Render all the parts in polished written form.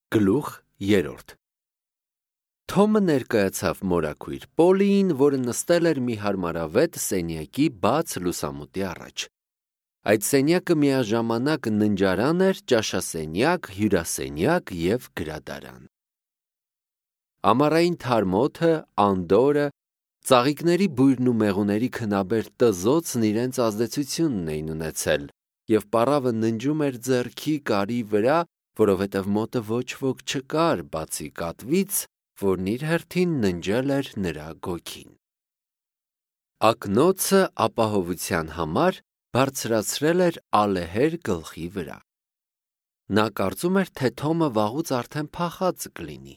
Գլուխ 3 Թոմը ներկայացավ մորաքույր Պոլիին, որը նստել էր մի հարմարավետ սենյակի բաց լուսամուտի առաջ։ Այդ սենյակը միաժամանակ ննջարան էր, ճաշասենյակ, հյուրասենյակ և գրադարան։ Ամառային թարմ օդը, անդորրը, ծաղիկների բույրն ու մեղուների քնաբեր տզոցն իրենց ազդեցությունն էին ունեցել, և պառավը ննջում էր ձեռքի կարի վրա, որովհետև մոտը ոչ ոք չկար, բացի կատվից, որն իր հերթին ննջել էր նրա գոգին։ Ակնոցը ապահովության համար բարձրացրել էր ալեհեր գլխի վրա։ Նա կարծում էր, թե Թոմը վաղուց արդեն փախած կլինի։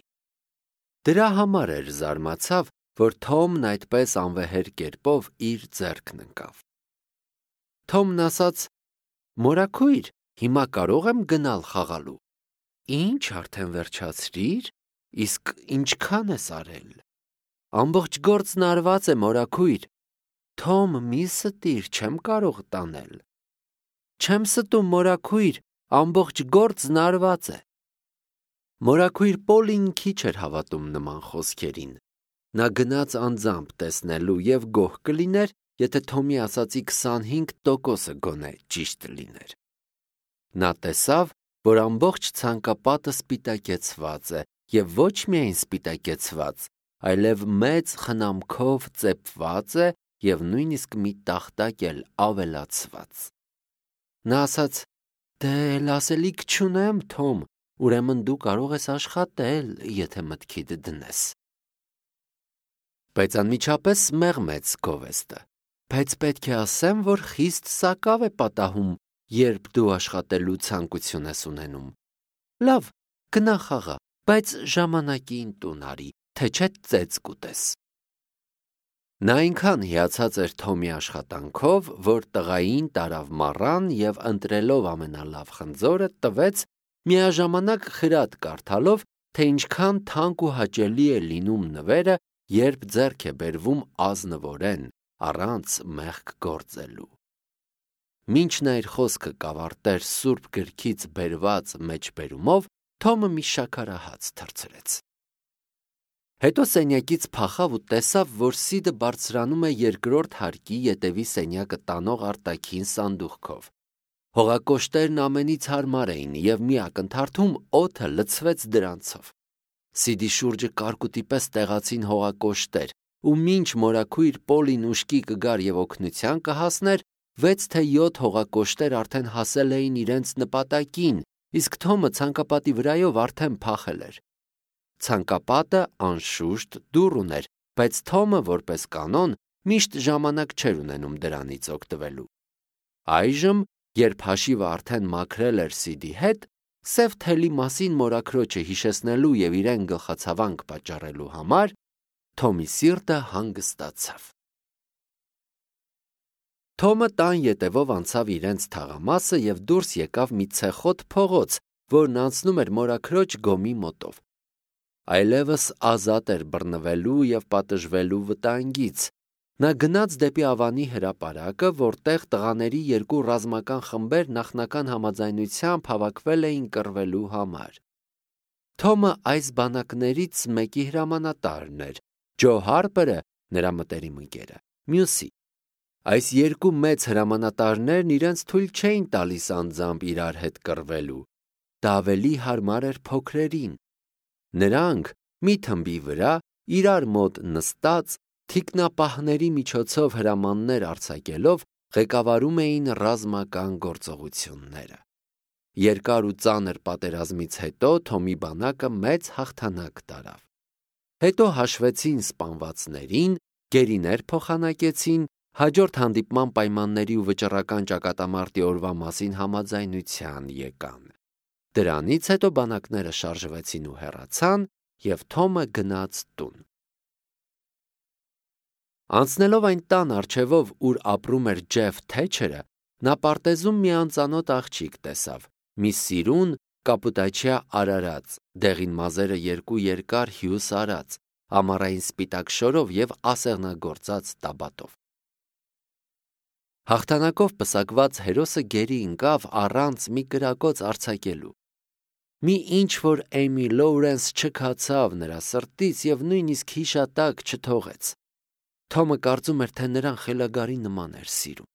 Դրա համար էր զարմացավ, որ Թոմն այդպես անվեհեր կերպով իր ձեռքն ընկավ։ Թոմն ասաց. «Մորաքույր, հիմա կարող եմ գնալ խաղալու»։ Ինչ, արդեն վերջացրիր, իսկ ինչքան ես արել։ Ամբողջ գործն արված է, մորաքույր։ Թոմ, մի ստիր, չեմ կարող տանել։ Չեմ ստում, մորաքույր, ամբողջ գործն արված է։ Մորաքույր Պոլին քիչ էր հավատում նման խոսքերին։ Նա գնաց անձամբ տեսնելու և գոհ կլիներ, եթե Թոմի ասածի 25%-ը գոնե ճիշտ լիներ։ Նա տեսավ, որ ամբողջ ցանկապատը սպիտակեցված է, և ոչ միայն սպիտակեցված, այլև մեծ խնամքով ծեփված է և նույնիսկ մի տախտակ էլ ավելացված։ Նա ասաց. «Դե էլ ասելիք չունեմ, Թոմ, ուրեմն դու կարող ես աշխատել, եթե մտքիդ դնես»։ Բայց անմիջապես մեղմեց գովեստը։ Բայց պետք է ասեմ, որ խիստ սակավ է պատահում, երբ դու աշխատելու ցանկություն ես ունենում։ Լավ, գնա խաղա, բայց ժամանակին տուն արի, թե չէ ծեծ կուտես։ Նա այնքան հիացած էր Թոմի աշխատանքով, որ տղային տարավ մառան և ընտրելով ամենալավ խնձորը տվեց, միաժամանակ խրատ կարդալով, թե ինչքան թանկ ու հաճելի է լինում նվերը, երբ ձեռք է բերվում ազնվորեն, առանց մեղք գործելու։ Մինչ նա իր խոսքը կավարտեր սուրբ գրքից բերված մեջբերումով, Թոմը մի շաքարահաց թռցրեց։ Հետո սենյակից փախավ ու տեսավ, որ Սիդը բարձրանում է երկրորդ հարկի ետևի սենյակը տանող արտաքին սանդուղքով։ Հողակոշտերն ամենից հարմար էին, և մի ակնթարթում օդը լցվեց դրանցով։ Սիդի շուրջը կարկուտի պես տեղացին հողակոշտեր, ու մինչ մորաքույր Պոլին ուշքի կգար և օգնության կհասներ, 6 թե 7 հողակոշտեր արդեն հասել էին իրենց նպատակին, իսկ Թոմը ցանկապատի վրայով արդեն փախել էր։ Ցանկապատը, անշուշտ, դուռ ուներ, բայց Թոմը, որպես կանոն, միշտ ժամանակ չէր ունենում դրանից օգտվելու։ Այժմ, երբ հաշիվը արդեն մաքրել էր Սիդի հետ, սև թելի մասին մորաքրոջը հիշեցնելու և իրեն գլխացավանք պատճառելու համար, Թոմի սիրտը հանգստացավ։ Թոմը տան ետևով անցավ իրենց թաղամասը և դուրս եկավ մի ցեխոտ փողոց, որն անցնում էր մորաքրոջ գոմի մոտով։ Այլևս ազատ էր բռնվելու և պատժվելու վտանգից։ Նա գնաց դեպի Ավանի հրապարակը, որտեղ տղաների երկու ռազմական խմբեր նախնական համաձայնությամբ հավաքվել էին կռվելու համար։ Թոմը այս բանակներից մեկի հրամանատարն էր, Ջո Հարպերը, նրա մտերիմ ընկերը, մյուսի։ Այս երկու մեծ հրամանատարներն իրենց թույլ չէին տալիս անձամբ իրար հետ կռվելու։ Դա ավելի հարմար էր փոքրերին։ Նրանք, մի թմբի վրա, իրար մոտ նստած, թիկնապահների միջոցով հրամաններ արձակելով, ղեկավարում էին ռազմական գործողությունները։ Երկար ու ծանր պատերազմից հետո Թոմի բանակը մեծ հաղթանակ տարավ։ Հետո հաշվեցին սպանվածներին, գերիներ փոխանակեցին, հաջորդ հանդիպման պայմանների ու վճռական ճակատամարտի օրվա մասին համաձայնության եկան։ Դրանից հետո բանակները շարժվեցին ու հեռացան, և Թոմը գնաց տուն։ Անցնելով այն տան առջևով, ուր ապրում էր Ջեֆ Թեչերը, նա պարտեզում մի անծանոթ աղջիկ տեսավ, մի սիրուն, կապուտաչյա արարած, դեղին մազերը երկու երկար հյուս արած, ամառային սպիտակ շորով և ասեղնագործած տաբատով։ Հաղթանակով պսակված հերոսը գերի ընկավ առանց մի կրակոց արձակելու։ Մի ինչ որ Էյմի Լոուրենս չքացավ նրա սրտից եւ նույնիսկ հիշատակ չթողեց։ Թոմը կարծում էր, թե նրան խելագարի նման էր սիրում։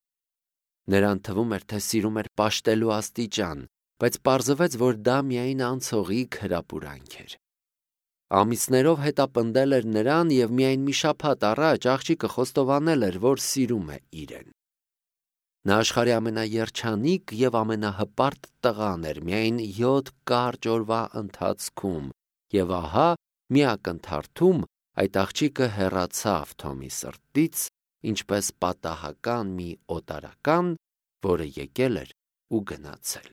Նրան թվում էր, թե սիրում էր պաշտելու աստիճան, բայց պարզվեց, որ դա միայն անցողիկ հրապուրանք էր։ Ամիսներով հետապնդել էր նրան եւ միայն մի շաբաթ առաջ աղջիկը խոստովանել էր, որ սիրում է իրեն։ Նա աշխարհի ամենաերջանիկ եւ ամենահպարտ տղան էր միայն 7 կարճ օրվա ընթացքում, եւ ահա մի ակնթարթում այդ աղջիկը հեռացավ Թոմի սրտից, ինչպես պատահական մի օտարական, որը եկել էր ու գնացել։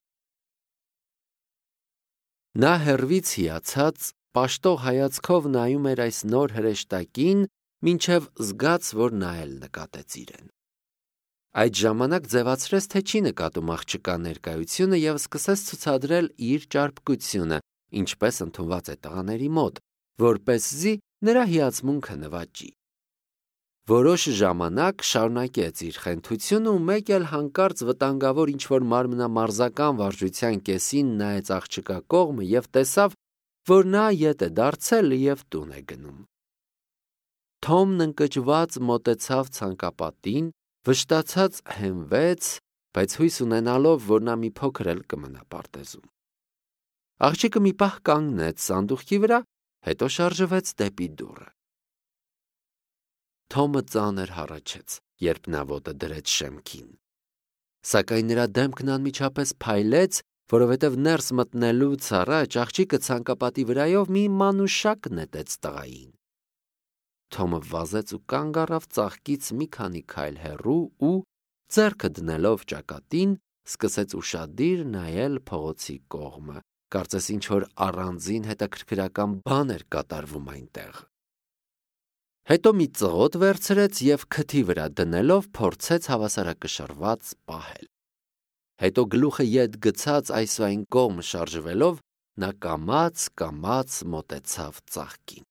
Նա հեռվից հիացած, պաշտող հայացքով նայում էր այս նոր հրեշտակին, մինչև զգաց, որ նա էլ նկատեց իրեն։ Այդ ժամանակ ձևացրեց, թե չի նկատում աղջկա ներկայությունը եւ սկսեց ցուցադրել իր ճարպկությունը, ինչպես ընդունված է տղաների մոտ, որպեսզի նրա հիացմունքը նվաճի։ Որոշ ժամանակ շարունակեց իր խենթությունը ու մեկ էլ հանկարծ վտանգավոր ինչ-որ մարմնամարզական վարժության կեսին նայեց աղջկա կողմը եւ տեսավ, որ նա ետ է դարձել եւ տուն է գնում։ Թոմն ընկճված մոտեցավ ցանկապատին, վշտացած հենվեց, բայց հույս ունենալով, որ նա մի փոքր էլ կմնա պարտեզում։ Աղջիկը մի պահ կանգնեց սանդուղքի վրա, հետո շարժվեց դեպի դուռը։ Թոմը ծանր հառաչեց, երբ նա ոտը դրեց շեմքին։ Սակայն նրա դեմքն անմիջապես փայլեց, որովհետև ներս մտնելուց առաջ աղջիկը ցանկապատի վրայով մի մանուշակ նետեց տղային։ Թոմը վազեց ու կանգ առավ ծաղկից մի քանի քայլ հեռու ու, ձեռքը դնելով ճակատին, սկսեց ուշադիր նայել փողոցի կողմը, կարծես ինչ-որ առանձին հետաքրքրական բան էր կատարվում այնտեղ։ Հետո մի ծղոտ վերցրեց եւ քթի վրա դնելով փորձեց հավասարակշռված պահել։ Հետո գլուխը ետ գցած այս ու այն կողմ շարժվելով, նա կամաց մոտեցավ ծաղկին։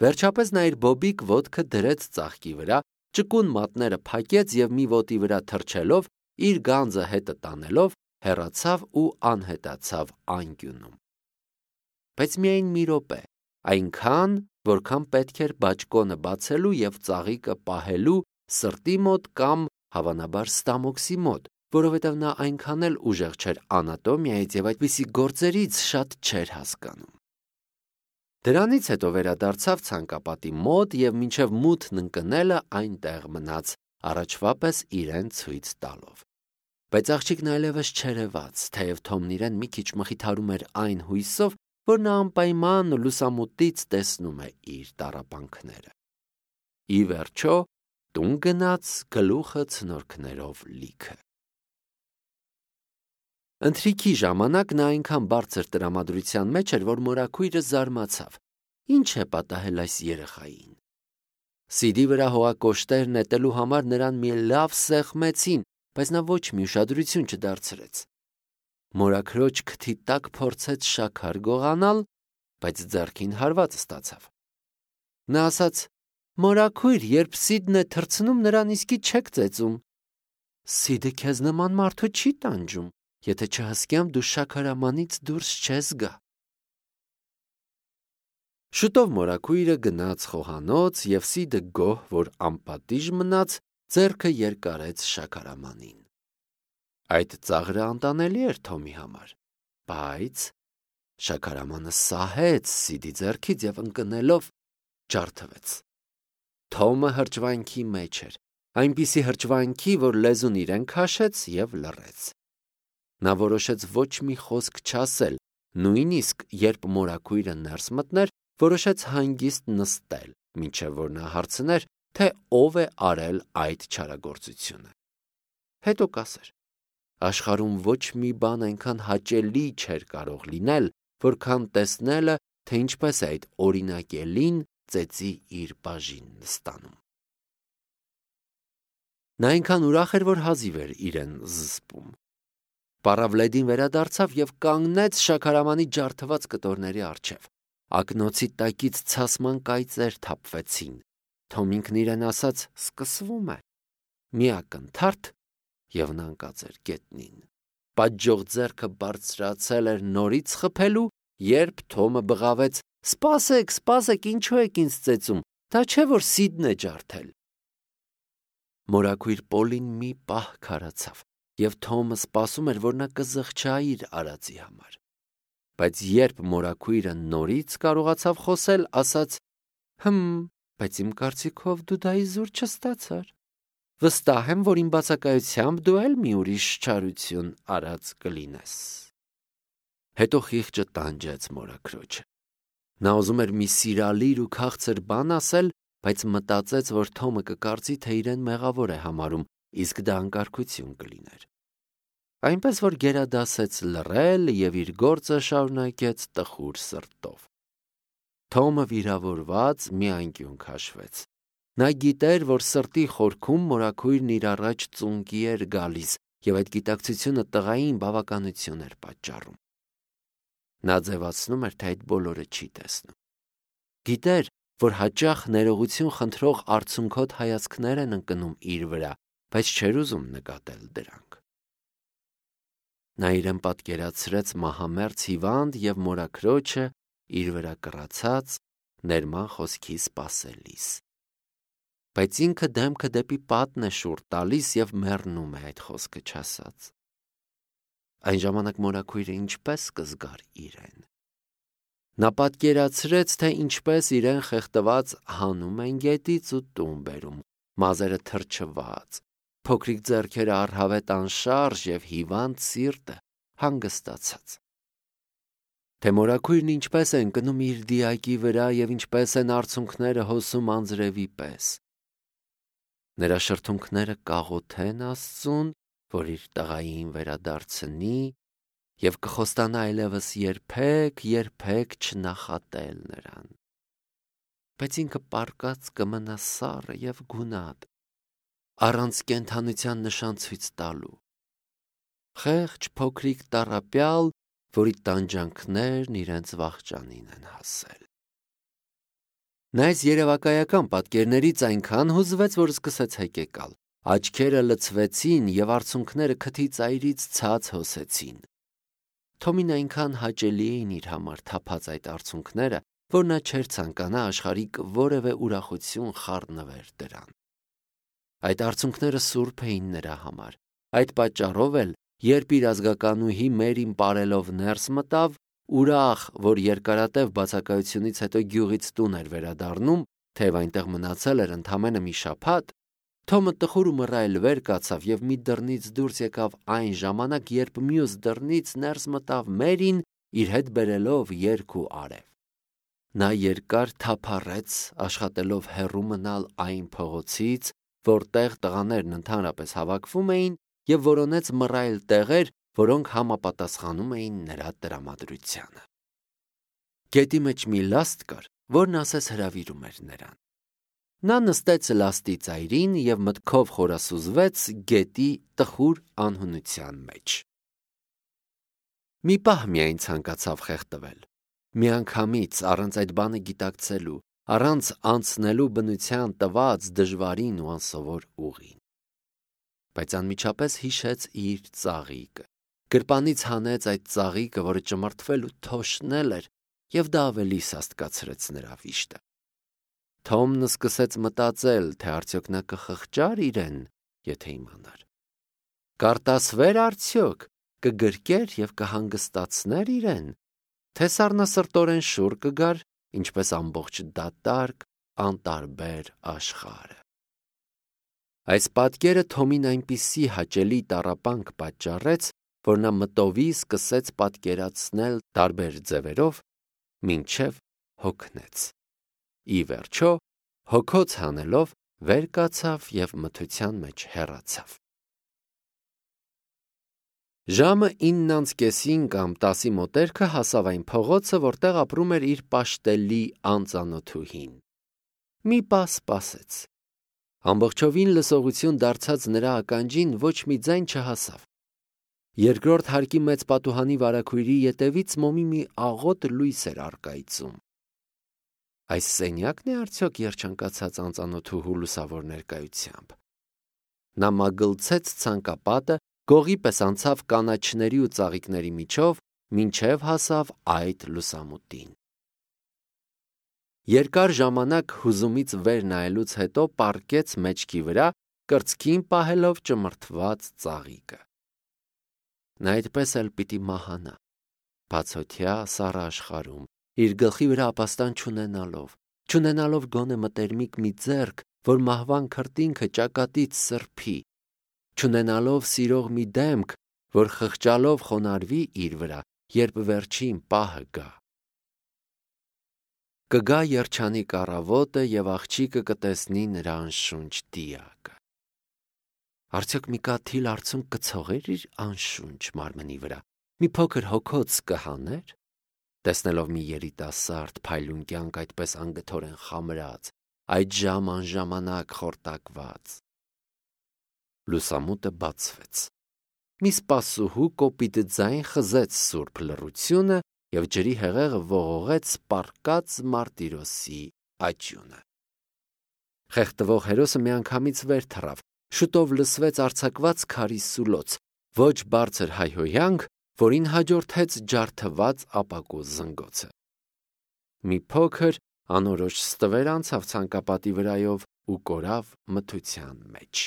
Վերջապես նա իր բոբիկ ոտքը դրեց ծաղկի վրա, ճկուն մատները փակեց եւ մի ոտի վրա թռչելով, իր գանձը հետը տանելով, հեռացավ ու անհետացավ անկյունում։ Բայց միայն մի րոպե, այնքան, որքան պետք էր բաճկոնը բացելու եւ ծաղիկը պահելու սրտի մոտ կամ հավանաբար ստամոքսի մոտ, որովհետև նա այնքան էլ ուժեղ չէր անատոմիայից եւ այդպիսի գործերից շատ չէր հասկանում։ Դրանից հետո վերադարձավ ցանկապատի մոտ եւ մինչև մութն ընկնելը այնտեղ մնաց, առաջվա պես իրեն ցույց տալով։ Բայց աղջիկն այլևս չերևաց, թեև Թոմն իրեն մի քիչ մխիթարում էր այն հույսով, որ նա անպայման լուսամուտից տեսնում է իր տառապանքները։ Ի վերջո, տուն գնաց գլուխը ցնորքներով լիքը։ Ընթրիքի ժամանակ նա այնքան բարձր տրամադրության մեջ էր, որ մորաքույրը զարմացավ. ինչ է պատահել այս երեխային։ Սիդի վրա հողակոշտեր նետելու համար նրան մի լավ սեղմեցին, բայց նա ոչ մի ուշադրություն չդարձրեց։ Մորաքրոջ քթի տակ փորձեց շաքար գողանալ, բայց ձեռքին հարված ստացավ։ Նա ասաց. «Մորաքույր, երբ Սիդն է թռցնում, նրան իսկի չեք ծեծում։ Սիդը քեզ նման մարդու չի տանջում, եթե չհսկյամ դու շաքարամանից դուրս չես գա»։ Շուտով մորաքույրը գնաց խոհանոց եւ Սիդը գոհ, որ անպատիժ մնաց, ձեռքը երկարեց շաքարամանին։ Այդ ծաղրը անտանելի էր Թոմի համար, բայց շաքարամանը սահեց Սիդի ձեռքից եւ ընկնելով ջարդվեց։ Թոմը հրճվանքի մեջ էր, այնպիսի հրճվանքի, որ լեզուն իրեն քաշեց եւ լռեց։ Նա որոշեց ոչ մի խոսք չասել, նույնիսկ երբ մորաքույրը ներս մտներ, որոշեց հանգիստ նստել, մինչև որ նա հարցներ, թե ով է արել այդ չարագործությունը։ Հետո կասեր. աշխարհում ոչ մի բան այնքան հաճելի չէր կարող լինել, որքան տեսնելը, թե ինչպես է այդ օրինակելին ծեծի իր բաժինն ստանում։ Նա այնքան ուրախ էր, որ հազիվ էր իրեն զսպում։ Պարավլեդին վերադարձավ եւ կանգնեց շաքարամանի ջարդված կտորների առջև։ Ակնոցի տակից ցասման կայծեր թափվեցին։ Թոմ ինքն իրեն ասաց. սկսվում է։ Մի ակնթարթ եւ նա ընկած էր գետնին։ Պատժող ձեռքը բարձրացել էր նորից խփելու, երբ Թոմը բղավեց. «Սպասեք, ինչու եք ինձ ծեծում, դա չէ, որ Սիդն է ջարդել»։ Մորաքույր Պոլին մի պահ քարացավ, և Թոմը սպասում էր, որ նա կզղջա իր արածի համար։ Բայց երբ մորաքույրը նորից կարողացավ խոսել, ասաց. բայց իմ կարծիքով դու դա իզուր չստացար։ Վստահ եմ, որ իմ բացակայությամբ դու էլ մի ուրիշ չարություն արած կլինես։ Հետո խիղճը տանջեց մորաքրոջը։ Նա ուզում էր մի սիրալիր ու քաղցր բան ասել, բայց մտածեց, որ Թոմը կկարծի, թե իրեն մեղավոր է համարում, իսկ դա անկարգություն կլիներ։ Այնպես որ գերադասեց լռել և իր գործը շարունակեց տխուր սրտով։ Թոմը վիրավորված մի անկյուն քաշվեց։ Նա գիտեր, որ սրտի խորքում մորաքույրն իր առաջ ծունկի էր գալիս, և այդ գիտակցությունը տղային բավականություն էր պատճառում։ Նա ձևացնում էր, թե այդ բոլորը չի տեսնում։ Գիտեր, որ հաճախ ներողություն խնդրող արցունքոտ հայացքներ են ընկնում իր վրա, բայց չէր ուզում նկատել դրանք։ Նա իրեն պատկերացրեց մահամերձ հիվանդ և մորաքրոջը իր վրա կռացած, ներման խոսքի սպասելիս։ Բայց ինքը դեմքը դեպի պատն է շուռ տալիս և մեռնում է այդ խոսքը չասած։ Այն ժամանակ մորաքույրը ինչպես կզգար իրեն։ Նա պատկերացրեց, թե ինչպես իրեն խեղդված հանում են գետից ու տուն բերում, մազերը թրջված, փոքրիկ ձեռքերը առհավետ անշարժ և հիվանդ սիրտը հանգստացած։ Թե մորաքույրն ինչպես է ընկնում իր դիակի վրա և ինչպես են արցունքները հոսում անձրևի պես։ Նրա շրթունքները կաղոթեն Աստծուն, որ իր տղային վերադարձնի և կխոստանա այլևս երբեք չնախատել նրան։ Բայց ինքը պառկած կմնա սառը և գունատ, առանց կենդանության նշան ցույց տալու։ Խեղճ փոքրիկ տառապյալ, որի տանջանքներն իրենց վախճանին են հասել։ Նա այս երևակայական պատկերներից այնքան հուզվեց, որ սկսեց հեկեկալ։ Աչքերը լցվեցին և արցունքները քթի ծայրից ցած հոսեցին։ Թոմին այնքան հաճելի էին իր համար թափած այդ արցունքները, որ նա չէր ցանկանա աշխարհիկ որևէ ուրախություն խառնվեր դրան։ Այդ արցունքները սուրբ էին նրա համար։ Այդ պատճառով էլ, երբ իր ազգականուհի Մերին պարելով ներս մտավ, ուրախ, որ երկարատև բացակայությունից հետո գյուղից տուն էր վերադառնում, թեև այնտեղ մնացել էր ընդամենը մի շաբաթ, Թոմը տխուր ու մռայլ վեր կացավ և մի դռնից դուրս եկավ այն ժամանակ, երբ մյուս դռնից ներս մտավ Մերին, իր հետ բերելով երգ ու արև։ Նա երկար թափառեց, աշխատելով հեռու մնալ այն փողոցից, որտեղ տղաներն ընդհանրապես հավաքվում էին, և որոնեց մռայլ տեղեր, որոնք համապատասխանում էին նրա տրամադրությանը։ Գետի մեջ մի լաստ կար, որն ասես հրավիրում էր նրան։ Նա նստեց լաստի ծայրին և մտքով խորասուզվեց գետի տխուր անհունության մեջ։ Մի պահ միայն ցանկացավ խեղդվել։ Միանգամից, առանց այդ բանը գիտակցելու, առանց անցնելու բնության տված դժվարին ու անսովոր ուղին։ Բայց անմիջապես հիշեց իր ծաղիկը։ Գրպանից հանեց այդ ծաղիկը, որը ճմրթվել ու թոշնել էր, և դա ավելի սաստկացրեց նրա վիշտը։ Թոմն սկսեց մտածել, թե արդյոք նա կխղճար իրեն, եթե իմանար։ Կարտասվեր արդյոք, կգրկեր և կհանգստացներ իրեն, թե սառնասրտորեն շուռ կգար, ինչպես ամբողջ դատարկ, անտարբեր աշխարհը։ Այս պատկերը Թոմին այնպիսի հաճելի տառապանք պատճառեց, որ նա մտովի սկսեց պատկերացնել տարբեր ձևերով, մինչև հոգնեց։ Ի վերջո, հոգոց հանելով, վեր կացավ և մթության մեջ հեռացավ։ Ժամը 9:30 կամ 10-ի մոտերքը հասավ այն փողոցը, որտեղ ապրում էր իր պաշտելի անծանոթուհին։ Մի պահ սպասեց։ Ամբողջովին լսողություն դարձած նրա ականջին ոչ մի ձայն չհասավ։ Երկրորդ հարկի մեծ պատուհանի վարագույրի ետևից մոմի մի աղոտ լույս էր առկայծում։ Այս սենյակն է արդյոք երջանկացած անծանոթուհու լուսավոր ներկայությամբ։ Նա մագլցեց ցանկապատը գողի պես անցավ կանաչների ու ծաղիկների միջով, մինչև հասավ այդ լուսամուտին։ Երկար ժամանակ հուզումից վեր նայելուց հետո պառկեց մեջքի վրա, կրծքին պահելով ճմրթված ծաղիկը։ Նա այդպես էլ պիտի մահանա, բացօթյա սառը աշխարհում, իր գլխի վրա ապաստան չունենալով գոնե մտերմիկ մի ձեռք, որ մահվան քրտինքը ճակատից սրբի, չունենալով սիրող մի դեմք, որ խղճալով խոնարհվի իր վրա, երբ վերջին պահը գա։ Կգա երջանիկ առավոտը և աղջիկը կտեսնի նրա անշունչ դիակը։ Արդյոք մի կաթիլ արցունք կցողեր իր անշունչ մարմնի վրա, մի փոքր հոգոց կհաներ, տեսնելով մի երիտասարդ փայլուն կյանք այդպես անգթորեն խամրած, այդ ժամ անժամանակ խորտակված։ Լուսամուտը բացվեց։ Մի սպասուհու կոպիտ ձայն խզեց սուրբ լռությունը և ջրի հեղեղը ողողեց պառկած մարտիրոսի աճյունը։ Խեղդվող հերոսը միանգամից վեր թռավ, շուտով լսվեց արձակված քարի սուլոց, ոչ բարձր հայհոյանք, որին հաջորդեց ջարդված ապակու զնգոցը։ Մի փոքր անորոշ ստվեր անցավ ցանկապատի վրայով ու կորավ մթության մեջ։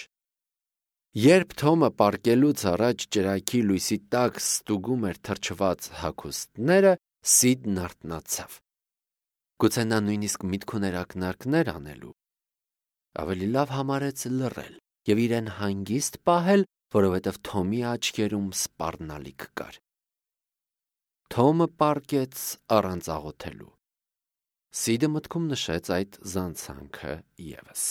Երբ Թոմը պառկելուց առաջ ճրագի լույսի տակ ստուգում էր թրջված հագուստները, Սիդն արթնացավ։ Գուցե նա նույնիսկ միտք ուներ ակնարկներ անելու։ Ավելի լավ համարեց լռել և իրեն հանգիստ պահել, որովհետև Թոմի աչքերում սպառնալիք կար։ Թոմը պառկեց առանց աղոթելու։ Սիդը մտքում նշեց այդ զանցանքը ևս։